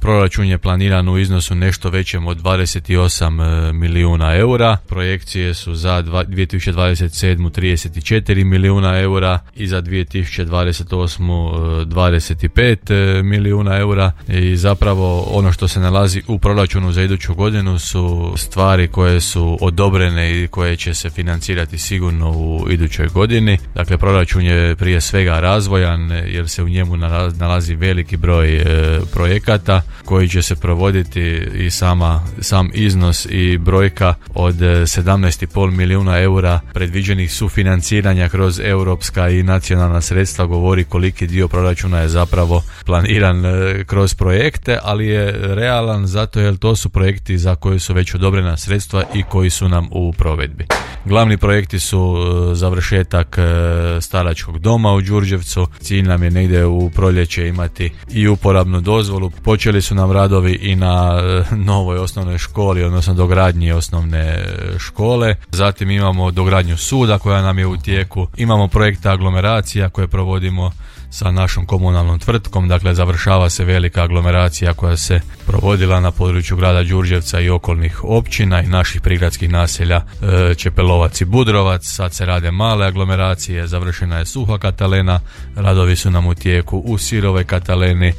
Proračun je planiran u iznosu nešto većem od 28 milijuna eura. Projekcije su za 2027. 34 milijuna eura i za 2028. 25 milijuna eura. I zapravo ono što se nalazi u proračunu za iduću godinu su stvari koje su odobrene i koje će se financirati sigurno u idućoj godini. Dakle, proračun je prije svega razvojan jer se u njemu nalazi veliki broj projekata koji će se provoditi i sam iznos i brojka od 17,5 milijuna eura predviđenih sufinanciranja kroz europska i nacionalna sredstva govori koliki dio proračuna je zapravo planiran kroz projekte, ali je realan zato jer to su projekti za koje su već odobrena sredstva i koji su nam u provedbi. Glavni projekti su završetak staračkog doma u Đurđevcu. Cilj nam je negdje u proljeće imati i uporabnu dozvolu. Počeli su nam radovi i na novoj osnovnoj školi, odnosno dogradnji osnovne škole. Zatim imamo dogradnju suda koja nam je u tijeku. Imamo projekte aglomeracija koje provodimo sa našom komunalnom tvrtkom, dakle završava se velika aglomeracija koja se provodila na području grada Đurđevca i okolnih općina i naših prigradskih naselja Čepelovac i Budrovac. Sad se rade male aglomeracije, završena je Suha Katalena, radovi su nam u tijeku u Sirovoj Kataleni,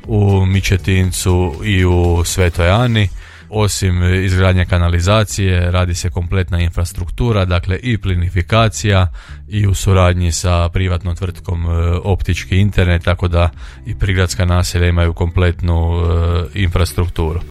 u Mičetincu i u Svetoj Ani. Osim izgradnje kanalizacije radi se kompletna infrastruktura, dakle i plinifikacija i u suradnji sa privatnom tvrtkom optički internet, tako da i prigradska naselja imaju kompletnu infrastrukturu.